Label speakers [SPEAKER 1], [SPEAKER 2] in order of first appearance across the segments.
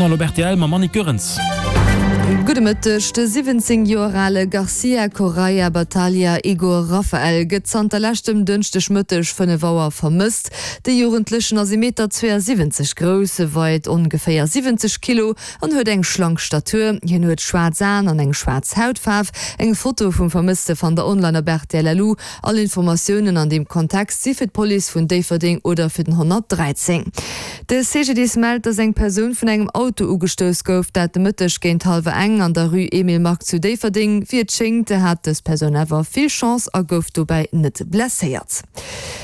[SPEAKER 1] Journal op rtl mam Annick Goerens.
[SPEAKER 2] Gudde Mëtteg. De 17 Joer ale Garcia Correia Batalha Igor Rafael gëtt zanter leschtem Dënschdegmëtteg 5 Auer vermësst. De Jugendlechen ass ee Meter 72 grouss, weit ongeféier 70 Kilo an huet eng schlank Statur. Hien huet schwaarz Aen an eng schwaarz Hautfaarf. Eng Foto vum Vermësste fannt der online op rtl.lu. All Informatiounen an deem Kontext si fir d'Police vun Déifferdeng oder fir den 113. De CGDIS mellt, dass eng Persoun vun engem Auto ugestouss gouf, dat de Mëtteg géint hallwer eng an der Rue Emile Mark zu Déifferdeng. Wéi et schéngt, hat dës Persoun awer vill Chance a gouf dobäi net blesséiert.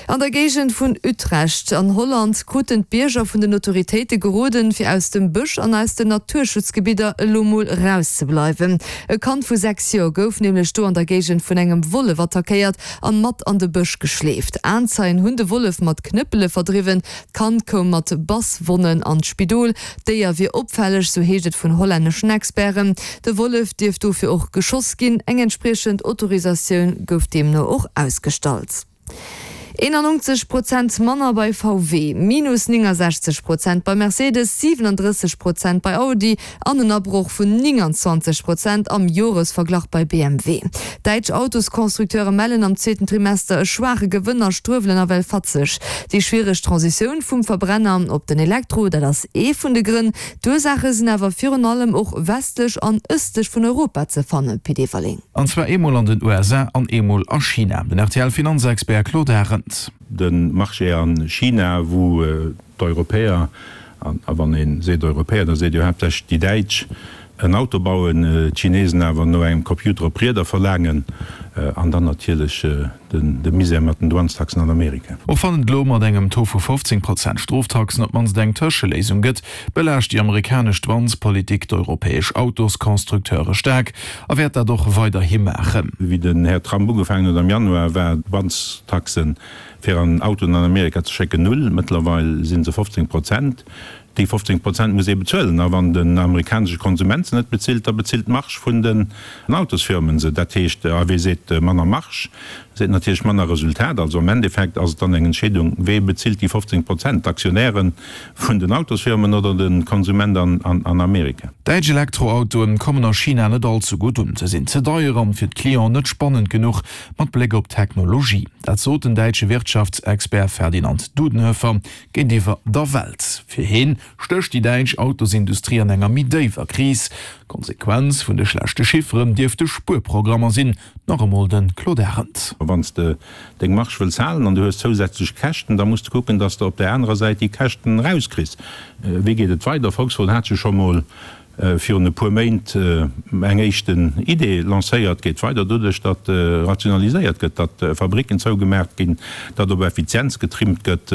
[SPEAKER 2] An der Géigend vun Utrecht an Holland kruten d'Bierger vun den Autoritéite geroden, fir aus dem Bësch an aus den Naturschutzgebidder elo mol rauszebleiwen. E Kand vu 6 Joer gouf nämlech do an der Géigend vun engem Wollef attackéiert an mat an de Bësch geschleeft. Aenzeien hunn de Wollef mat Knëppele verdriwwen. D'Kand koum mat Basswonnen an d'Spidol. D'Déier wier opfälleg, sou heescht et vun hollänneschen Experten. De Wollef dierft dofir och geschoss ginn. Eng entspriechend Autorisatioun gouf deemno och ausgestallt. 91 Prozent manner bei VW, minus 69 Prozent bei Mercedes, 37 Prozent bei Audi an en Abroch vun 29 Prozent am Joresverglach bei BMW. Däitsch Autosconstructeure mellen am zweeten Trimester e schwaache Gewënn a struewelen nawell fatzeg. Déi schwiereg Transitioun vum Verbrenner op den Elektro, dat ass ee vun de Grënn. D'Ursaache sinn awer virun allem och westlech an ëstlech vun Europa ze fannen, Pit Everling.
[SPEAKER 3] An zwar eemol an den USA an eemol a China. Den RTL-Finanzexpert Claude Arend.
[SPEAKER 4] De Marché a China, wou d'Europäer, a wann ee seet Europäer, da seet ee jo haaptsächlech déi Däitsch, en Auto bauen, d'Chinesen awer no engem Computer op Rieder verlaangen, an dann natierlech de Misär mat den Douanestaxen an Amerika.
[SPEAKER 3] Och wann et elo mat engem Taux vu 15 Prozent Stroftaxen op d'mannst eng Tëscheléisung gëtt, belaascht déi amerikanesch Douanespolitik d'europäesch Autosconstructeure staark a wäert dat och weiderhi maachen.
[SPEAKER 4] Wéi den Här Trump ugefaangen huet am Januar, war d'Douanestaxen fir an Autoen an Amerika ze schécken null. Mëttlerweil si se 15 Prozent. Déi 15 Prozent muss ee bezuelen. A wann den amerikanesche Konsument se net bezilt, da bezilt d'Marge vun den Autosfirmen se. Dat heescht, a wee seet manner Marge, seet natierlech manner Resultat. Also am Endeffekt ass et dann eng Entscheedung, wee bezilt déi 15 Prozent, d'Aktionäre vun den Autosfirmen oder de Konsument an Amerika.
[SPEAKER 3] Däitsch Elektroautoen kommen a China net all ze gutt un. Se sinn ze deier an fir d'Clienten net spannend genuch mat Bléck op d'Technologie. Dat sot den däitsche Wirtschaftsexpert Ferdinand Dudenhöffer géintiwwer der Welt. Fir heen stécht déi däitsch Autosindustrie an enger méi déiwer Kris. Konsequenz vun de schlechte Chifferen dierfte Spuerprogrammer sinn. Nach emol de Claude Arend.
[SPEAKER 4] Wann s de deng Marge wëlls halen an du hues zousätzlech Käschten, da muss de kucken, datt s de op där anerer Säit déi Käschten erauskriss. Wéi geet et weider? Volkswagen hat jo scho mol virun e puer Méint eng éischten Idee lancéiert. Geet weider doduerch, datt rationaliséiert gëtt, datt Fabricken zougemaach ginn, datt op Effizienz getrimmt gëtt.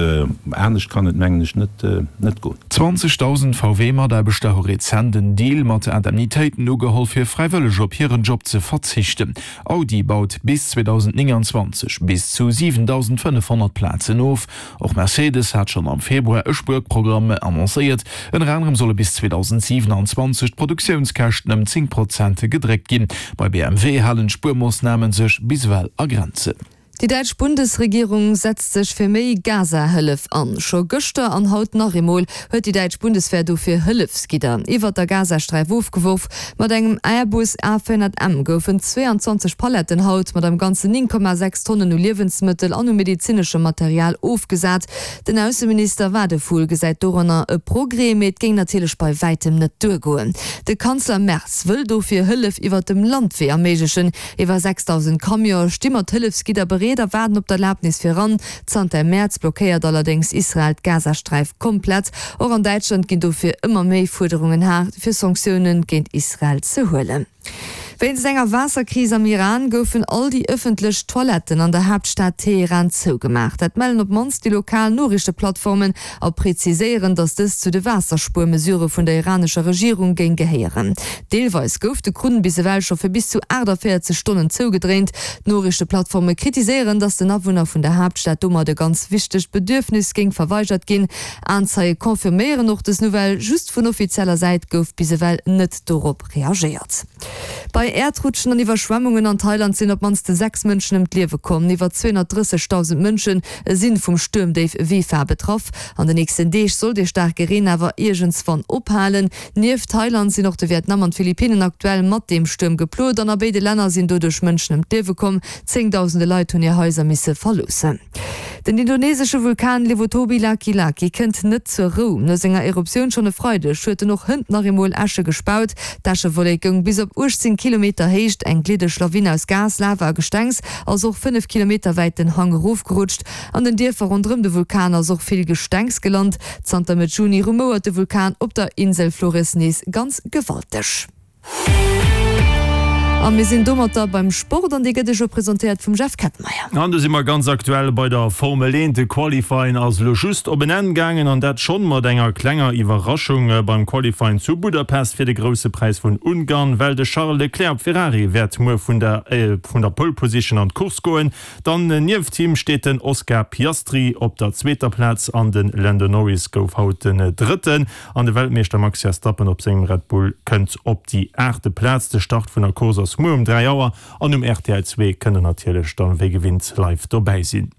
[SPEAKER 4] Anescht kann et, mengen ech, net goen.
[SPEAKER 3] 20.000 VW-Mataarbechter hu rezent en Deal mat Indemnitéiten ugeholl, fir fräiwëlleg op hiren Job ze verzichten. Audi baut bis 2029 bis zu 7.500 Plazen of. Och Mercedes hat schonn am Februar e Spuerprogramm annoncéiert. Ënner anerem solle bis 2027 d'Produktiounskäschten ëm 10 Prozent gedréckt ginn. Bei BMW halen d'Spuermoossname sech bis ewell a Grenzen.
[SPEAKER 2] Déi däitsch Bundesregierung setzt sech fir méi Gaza-Hëllef an. Scho gëschter an haut nach eemol huet déi däitsch Bundeswehr dofir Hëllefsgidder iwwert der Gazasträif ofgeworf. Mat engem Airbus A400M goufen 22 Paletten haut mat am Ganzen 9,6 Tonnen u Liewensmëttel an u medezineschem Material ofgesat. Den Ausseminister Wadephul gesäit doranner e Progrès, mee et géing natierlech bei wäitem net duergoen. De Kanzler Merz wëll dofir Hëllef iwwert dem Landwee erméiglechen. Iwwer 6.000 Camionë sti mat Hëllefsgidder bereet a waarden op d'Erlabnis fir eran. Zanter Mäerz blockéiert allerdéngs Israel d'Gazasträif komplett. Och an Däitschland ginn dofir ëmmer méi Fuerderungen haart, fir Sanktioune géint Israel ze huelen. Wéinst enger Waasserkris am Iran goufen all déi ëffentlech Toiletten an der Haaptstad Teheran zougemaach. Dat mellen op d'mannst déi lokal Noriichteplattformen a preziséieren, datt dëst zu de Waasserspuermesurë vun der iranescher Regierung géing gehéieren. Deelweis gouf de Krunn bis ewell scho fir bis zu 48 Stonnen zougedréint. D'Noriichteplattforme kritiséieren, datt den Awunner vun der Haaptstad domat e ganz wichtegt Bedürfnis géing verweigert ginn. Aenzeie confirméieren och dës Nouvelle, just vun offizieller Säit gouf bis ewell net dorop reagéiert. Bei. Bei Äerdrutschen an Iwwerschwemmungen an Thailand sinn op d'mannst 6 Mënschen ëm d'Liewe komm. Iwwer 230.000 Mënsche si vum Stuermdéif Wipha betraff. An den nächsten Deeg soll dee staarke Reen awer iergendswann ophalen. Nieft Thailand sinn och de Vietnam an d'Philippinnen aktuell mat deem Stuerm geplot an a béide Länner sinn doduerch Mënschen ëm d'Liewe komm. Zéngdausende Leit hunn hir Haiser misse verloossen. Den indonesesche Vulkan Lewotobi Laki Laki kënnt net zur Rou. No senger Eruptioun schonn e Freideg huet en och hënt nach eemol Äsche gespaut. D'Äschewollek goung bis op 18 Kilometer Héicht. Eng gliddeg Lawin aus Gas, Lava a Gestengs ass och 5 Kilometer wäit den Hang erofgerutscht. An den Dierfer ronderëm de Vulkan ass och vill Gestengs gelant. Zanter Mëtt Juni rumouert de Vulkan op der Insel Flores nees ganz gewalteg. A mir sinn domatter beim Sport an dee gëtt Iech elo presentéiert vum Jeff Kettenmeyer.
[SPEAKER 3] An do si mer ganz aktuell bei der Formel 1. De Qualifying ass elo just op en Enn gaangen an dat schonn mat enger klenger Iwwerraschung beim Qualifying zu Budapest fir de Grousse Präis vun Ungarn, well de Charles Leclerc op Ferrari wäert muer vun der vun der Pole Position an d'Course goen. Dann nieft him steet den Oscar Piastri op der zweeter Plaz an de Lando Norris gouf haut den Drëtten. An de Weltmeeschter Max Verstappen op sengem Red Bull kënnt op déi aachte Plaz. De Start vun der Course ass muer um 3 Auer an um rtl 2 kënnt der natierlech dann wéi gewinnt live dobäi sinn.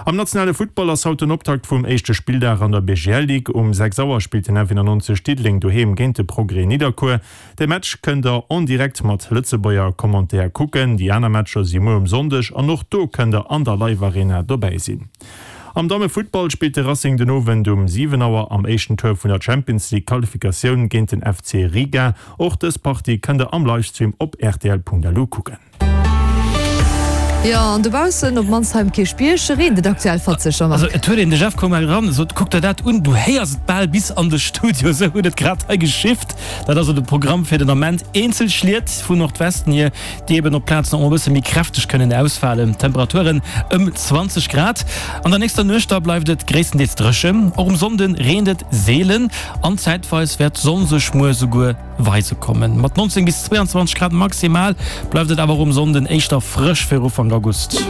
[SPEAKER 3] Am nationale Futtball ass haut den Optakt vum éischte Spilldag an der BGL Ligue. Um 6 Auer spillt den F91 Diddeleng doheem géint de Progrès Nidderkuer. De Match kënnt der en direct mat Lëtzebuerger Commentaire kucken. Déi aner Matcher si muer um Sonndeg an och do kënnt der an der Live Arena dobäi sinn. Am Dammefuttball spillt de Racing den Owend um 7 Auer am éischten Tour vun der Champions League Qualifikatioun géint den FC Riga. Och dës Partie kënnt der am Livestream op rtl.lu kucken.
[SPEAKER 2] Jo, an dobaussen, op d'mannst hei um Kierchbierg, reent et aktuell fatzeg, Jean-Marc.
[SPEAKER 1] Also et huet een, de Jeff koum hei eran, sot, kuck der dat un, du héiers et bal bis an de Studio, esou huet et grad hei geschifft. Dat ass esou de Programm fir den Ament. Eenzel Schliet vun Nordwesten hier, déi eben op Plazen och e bësse méi kräfteg kënnen ausfalen. Temperaturen ëm 20 Grad. An der nächster Nuecht da bleift et gréisstendeels dréchen. Och um Sonnde reent et seelen an zäitweis wäert d'Sonn sech muer souguer Weise kommen. Mat 19 bis 22 Grad maximal bleift et awer och um Sonnden éischter frësch fir Ufank August.